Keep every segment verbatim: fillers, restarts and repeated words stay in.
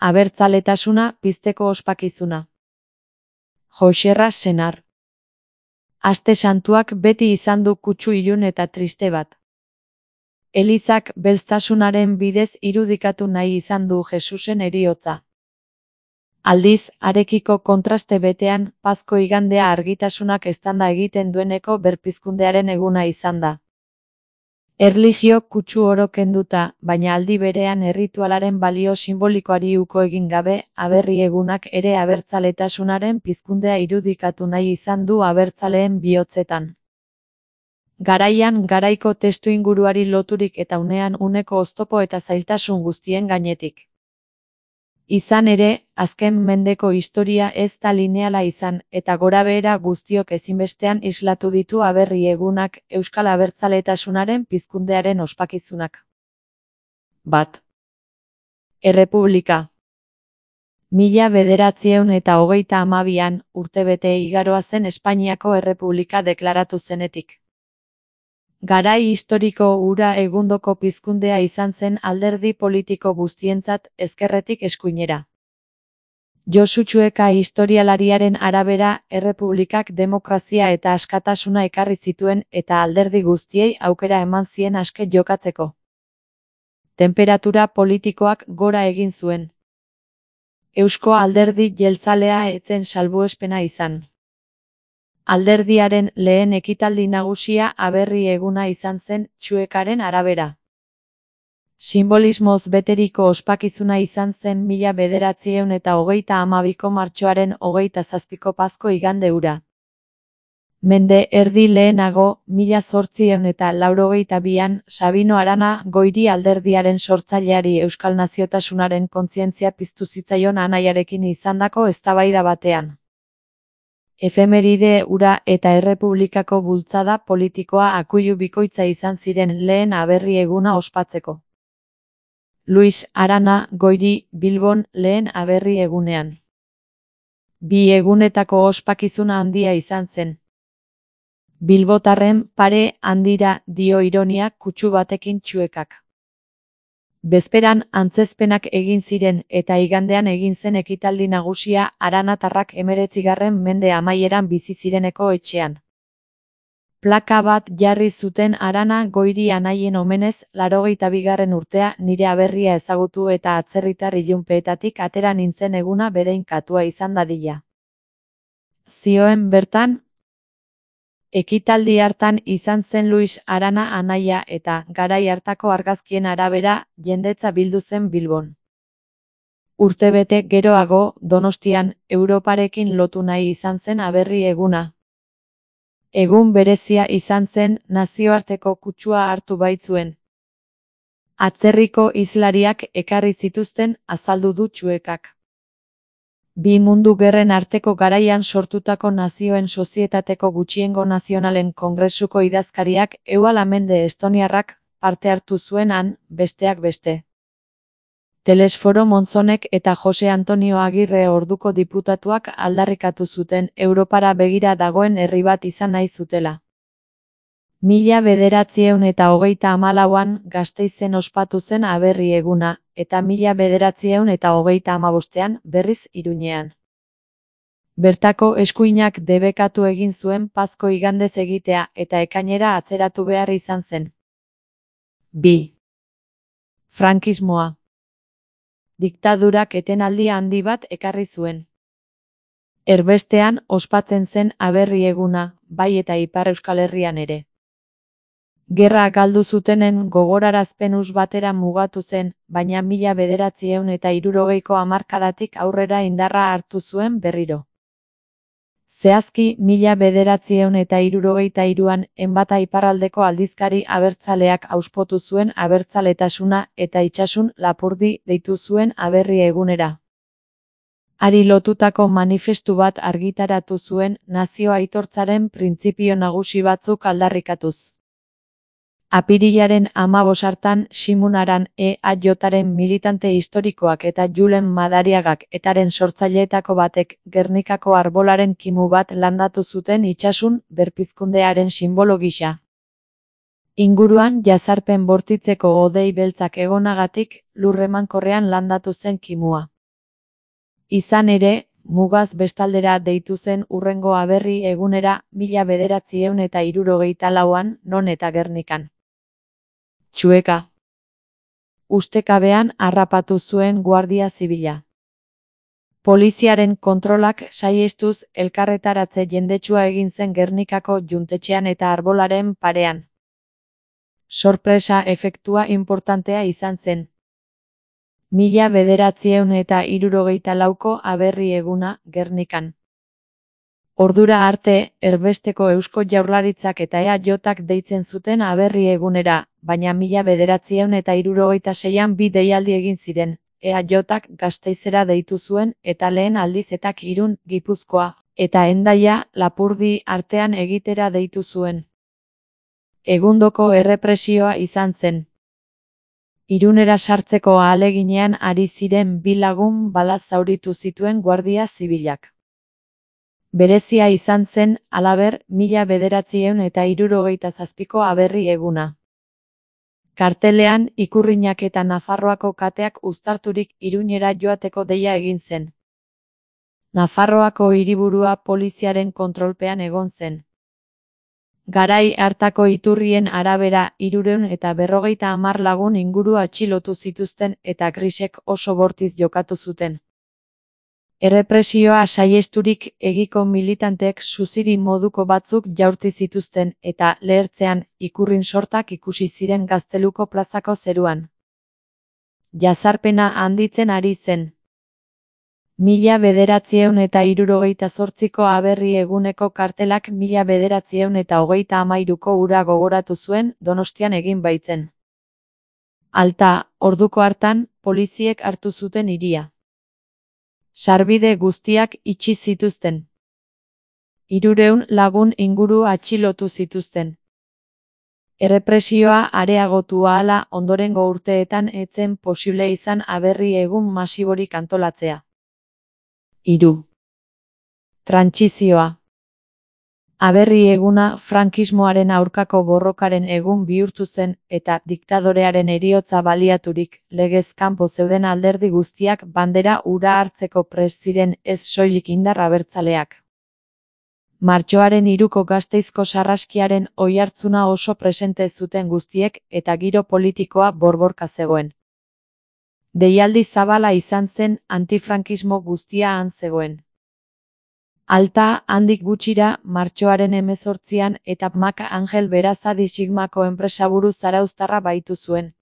Abertzaletasuna pizteko ospakizuna. Joxerra senar. Aste santuak beti izan du kutsu ilun eta triste bat. Elizak belztasunaren bidez irudikatu nahi izan du Jesusen heriotza. Aldiz, harekiko kontraste betean, Pazko igandea argitasunak eztanda egiten dueneko berpizkundearen eguna izan da. Erlijio kutsu oro kenduta, baina aldi berean erritualaren balio simbolikoari uko egin gabe, aberri egunak ere abertzaletasunaren pizkundea irudikatu nahi izan du abertzaleen bihotzetan. Garaian garaiko testuinguruari loturik eta unean uneko oztopo eta zailtasun guztien gainetik. Izan ere, azken mendeko historia ez da lineala izan, eta gorabehera guztiok ezinbestean islatu ditu aberri egunak euskal abertzaletasunaren pizkundearen ospakizunak. Bat. Errepublika. Mila bederatziehun eta hogeita hamabian, urtebete igaroa zen Espainiako Errepublika deklaratu zenetik. Garai historiko hura egundoko pizkundea izan zen alderdi politiko guztientzat ezkerretik eskuinera. Josu Txueka historialariaren arabera, errepublikak demokrazia eta askatasuna ekarri zituen eta alderdi guztiei aukera eman zien aske jokatzeko. Tenperatura politikoak gora egin zuen. Eusko alderdi jeltzalea ez zen salbuespena izan. Alderdiaren lehen ekitaldi nagusia aberri eguna izan zen Txuekaren arabera. Simbolismoz beteriko ospakizuna izan zen mila bederatziehun eta hogeita hamabiko martxoaren hogeita zazpiko Pazko igande hura. Mende erdi lehenago, mila zortziehun eta laurogeita bian, Sabino Arana Goiri alderdiaren sortzaileari euskal naziotasunaren kontzientzia piztu zitzaion anaiarekin izandako eztabaida batean. Efemeride hura eta errepublikako bultzada politikoa akuilu bikoitza izan ziren lehen aberri eguna ospatzeko. Luis Arana Goiri Bilbon lehen aberri egunean. Bi egunetako ospakizuna handia izan zen. Bilbotarren pare handira dio ironia kutsu batekin Txuekak. Bezperan antzezpenak egin ziren eta igandean egin zen ekitaldi nagusia aranatarrak hemeretzigarren mende amaieran bizi zireneko etxean. Plaka bat jarri zuten Arana Goiri anaien omenez laurogeita bigarren urtea nire aberria ezagutu eta atzerritar ilunpeetatik atera nintzen eguna bedein katua izan dadila. Zioen bertan, ekitaldi hartan izan zen Luis Arana anaia eta, garai hartako argazkien arabera, jendetza bildu zen Bilbon. Urtebete geroago, Donostian, Europarekin lotu nahi izan zen aberri eguna. Egun berezia izan zen, nazioarteko kutsua hartu baitzuen. Atzerriko hizlariak ekarri zituzten, azaldu du Txuekak. Bi mundu gerren arteko garaian sortutako nazioen sozietateko gutxiengo nazionalen kongresuko idazkariak Eual Amende estoniarrak parte hartu zuen han, besteak beste. Telesforo Monzonek eta Jose Antonio Agirre orduko diputatuak aldarrikatu zuten Europara begira dagoen herri bat izan nahi zutela. Mila bederatziehun eta hogeita hamalauan Gasteizen ospatu zen aberri eguna, eta mila bederatziehun eta hogeita hamabostean berriz Iruñean. Bertako eskuinak debekatu egin zuen Pazko igandez egitea eta ekainera atzeratu behar izan zen. Bi. Frankismoa. Diktadurak etenaldi handi bat ekarri zuen. Erbestean ospatzen zen aberri eguna, bai eta Ipar Euskal Herrian ere. Gerra galdu zutenen gogorarazpen hus batera mugatu zen, baina mila bederatziehun eta hirurogeiko hamarkadatik aurrera indarra hartu zuen berriro. Zehazki, mila bederatziehun eta hirurogeita hiruan Enbata iparraldeko aldizkari abertzaleak auspotu zuen abertzaletasuna eta Itsasun Lapurdi deitu zuen aberri egunera. Hari lotutako manifestu bat argitaratu zuen nazio aitortzaren printzipio nagusi batzuk aldarrikatuz. Apirilaren hamabos hartan Simun Aran E A Jaren militante historikoak eta Julen Madariagak etaren sortzaileetako batek Gernikako arbolaren kimu bat landatu zuten Itsasun berpizkundearen sinbolo gisa. Inguruan jazarpen bortitzeko hodei beltzak egonagatik lur emankorrean landatu zen kimua. Izan ere, mugaz bestaldera deitu zen hurrengo aberri egunera mila bederatziehun eta hirurogeita lauan, non eta Gernikan. Txueka. Ustekabean harrapatu zuen Guardia Zibila. Poliziaren kontrolak saihestuz elkarretaratze jendetsua egin zen Gernikako juntetxean eta arbolaren parean. Sorpresa efektua inportantea izan zen. Mila bederatziehun eta hirurogeita lauko aberri eguna Gernikan. Ordura arte, erbesteko Eusko Jaurlaritzak eta E A J-ak deitzen zuten aberri egunera, baina mila bederatziehun eta hirurogeita seian bi deialdi egin ziren. E A J-ak Gasteizera deitu zuen eta lehen aldiz etak Irun, Gipuzkoa, eta Hendaia, Lapurdi artean egitera deitu zuen. Egundoko errepresioa izan zen. Irunera sartzeko ahaleginean ari ziren bi lagun balaz zauritu zituen Guardia Zibilak. Berezia izan zen, halaber, mila bederatziehun eta hirurogeita zazpiko aberri eguna. Kartelean, ikurrinak eta Nafarroako kateak uztarturik Irunera joateko deia egin zen. Nafarroako hiriburua poliziaren kontrolpean egon zen. Garai hartako iturrien arabera hirurehun eta berrogeita hamar lagun inguru atxilotu zituzten eta grisek oso bortiz jokatu zuten. Errepresioa saihesturik egiko militanteek suziri moduko batzuk jaurti zituzten eta lehertzean ikurrin sortak ikusi ziren Gazteluko plazako zeruan. Jazarpena handitzen ari zen. Mila bederatziehun eta hirurogeita zortziko aberri eguneko kartelak mila bederatziehun eta hogeita hamairuko ura gogoratu zuen Donostian egin baitzen. Alta, orduko hartan, poliziek hartu zuten hiria. Sarbide guztiak itxi zituzten. Hirurehun lagun inguru atxilotu zituzten. Errepresioa areagotu ahala ondorengo urteetan ez zen posible izan aberri egun masiborik antolatzea. Hiru. Trantsizioa. Aberri eguna frankismoaren aurkako borrokaren egun bihurtu zen eta diktadorearen heriotza baliaturik legez kanpo zeuden alderdi guztiak bandera hura hartzeko prest ziren ez soilik indar abertzaleak. Martxoaren hiruko Gasteizko sarraskiaren oihartzuna oso presente zuten guztiek eta giro politikoa borborka zegoen. Deialdi zabala izan zen antifrankismo guztia han zegoen. Alta, handik gutxira, martxoaren hemezortzian eta Maka Angel Berazadi Sigmako enpresaburu zarauztarra baitu zuen.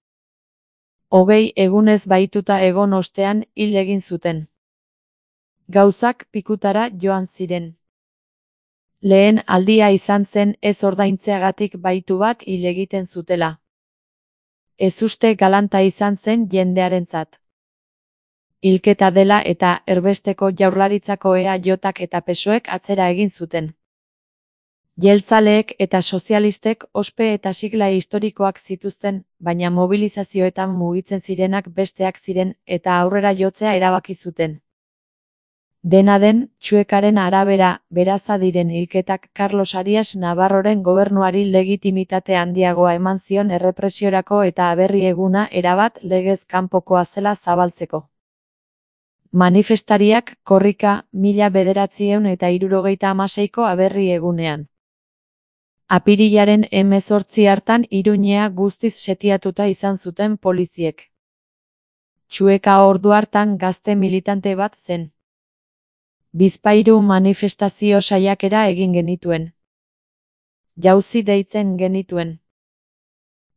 Hogei egunez baituta egon ostean hil egin zuten. Gauzak pikutara joan ziren. Lehen aldia izan zen ez ordaintzeagatik baitu bat hil egiten zutela. Ezuste galanta izan zen jendearentzat. Hilketa dela eta erbesteko Jaurlaritzako E A J-ak eta P S O E-ek atzera egin zuten. Jeltzaleek eta sozialistek ospe eta sigla historikoak zituzten, baina mobilizazioetan mugitzen zirenak besteak ziren eta aurrera jotzea erabaki zuten. Dena den, Txuekaren arabera, Berazadiren hilketak Carlos Arias Navarroren gobernuari legitimitate handiagoa eman zion errepresiorako eta aberri eguna erabat legez kanpokoa zela zabaltzeko. Manifestariak korrika mila bederatziehun eta hirurogeita hamaseiko aberri egunean. Apirilaren hemezortzi hartan Iruñea guztiz setiatuta izan zuten poliziek. Txueka ordu hartan gazte militante bat zen. Bizpahiru manifestazio saiakera egin genituen. Jauzi deitzen genituen.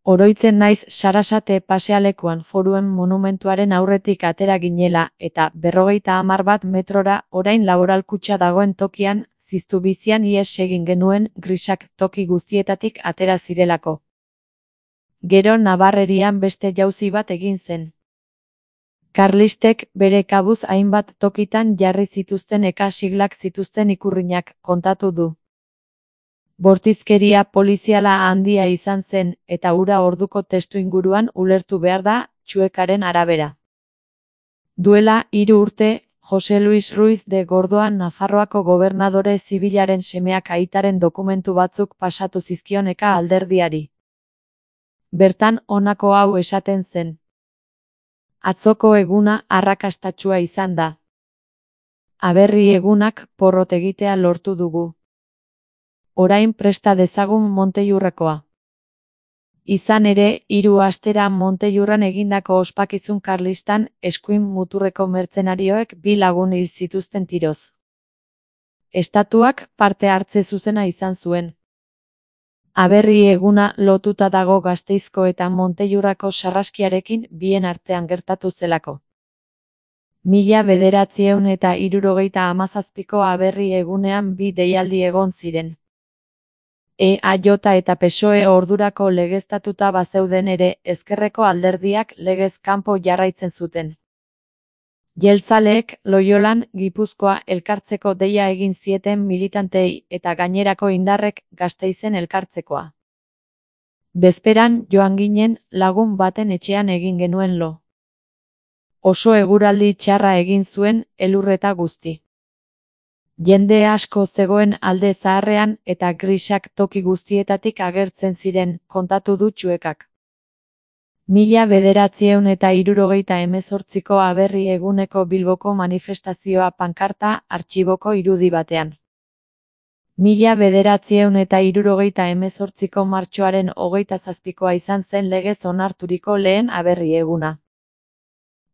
Oroitzen naiz Sarasate pasealekuan Foruen monumentuaren aurretik atera ginela eta berrogeita hamar bat metrora orain laboralkutxa dagoen tokian, ziztu bizian ihes egin genuen grisak toki guztietatik atera zirelako. Gero Nabarrerian beste jauzi bat egin zen. Karlistek bere kabuz hainbat tokitan jarri zituzten eka siglak zituzten ikurrinak, kontatu du. Bortizkeria poliziala handia izan zen eta hura orduko testuinguruan ulertu behar da, Txuekaren arabera. Duela hiru urte, Jose Luis Ruiz de Gordoan Nafarroako gobernadore zibilaren semeak aitaren dokumentu batzuk pasatu zizkion eka alderdiari. Bertan honako hau esaten zen. Atzoko eguna arrakastatsua izan da. Aberri egunak porrot egitea lortu dugu. Orain presta dezagun Montellurrekoa. Izan ere, hiru astera Montellurran egindako ospakizun karlistan eskuin muturreko mertzenarioek bi lagun hil zituzten tiroz. Estatuak parte hartze zuzena izan zuen. Aberri eguna lotuta dago Gasteizko eta Montellurrako sarraskiarekin bien artean gertatu zelako. Mila bederatziehun eta hirurogeita hamazazpiko aberri egunean bi deialdi egon ziren. E A J eta P S O E ordurako legeztatuta bazeuden ere, ezkerreko alderdiak legez kanpo jarraitzen zuten. Jeltzaleek Loiolan, Gipuzkoa elkartzeko deia egin zieten militantei eta gainerako indarrek Gasteizen elkartzekoa. Bezperan joan ginen, lagun baten etxean egin genuen lo. Oso eguraldi txarra egin zuen, elurreta guzti. Jende asko zegoen alde zaharrean eta grisak toki guztietatik agertzen ziren, kontatu du Txuekak. Mila bederatziehun eta hirurogeita hemezortziko aberri eguneko Bilboko manifestazioa pankarta artxiboko irudi batean. Mila bederatziehun eta hirurogeita hemezortziko martxoaren hogeita zazpikoa izan zen legez onarturiko lehen aberri eguna.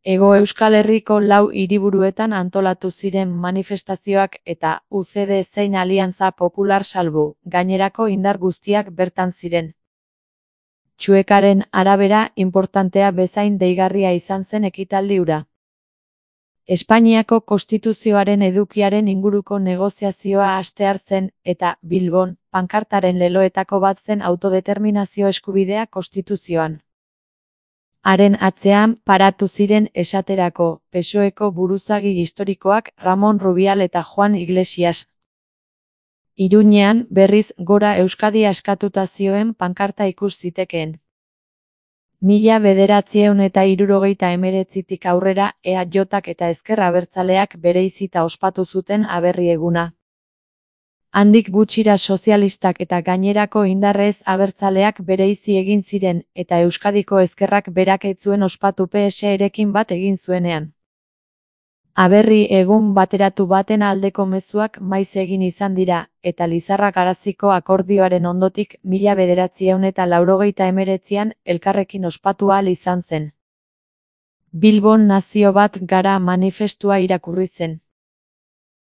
Hego Euskal Herriko lau hiriburuetan antolatu ziren manifestazioak eta U C D zein Aliantza Popular salbu, gainerako indar guztiak bertan ziren. Txuekaren arabera, inportantea bezain deigarria izan zen ekitaldi hura. Espainiako Konstituzioaren edukiaren inguruko negoziazioa hastear zen, eta, Bilbon, pankartaren leloetako bat zen autodeterminazio eskubidea Konstituzioan. Haren atzean paratu ziren esaterako, P S O Eko buruzagi historikoak Ramon Rubial eta Juan Iglesias. Iruñean, berriz, Gora Euskadi askatuta zioen pankarta ikus zitekeen. Mila bederatziehun eta hirurogeita hemeretzitik aurrera E A Jak eta Ezker Abertzaleak bereizita ospatu zuten aberri eguna. Handik gutxira sozialistak eta gainerako indarrez abertzaleak bereizi egin ziren, eta Euskadiko ezkerrak berak ez zuen ospatu P S erekin bat egin zuenean. Aberri egun bateratu baten aldeko mezuak maiz egin izan dira, eta Lizarra Garaziko akordioaren ondotik mila bederatziehun eta laurogeita hemeretzian elkarrekin ospatu ahal izan zen. Bilbon nazio bat gara manifestua irakurri zen.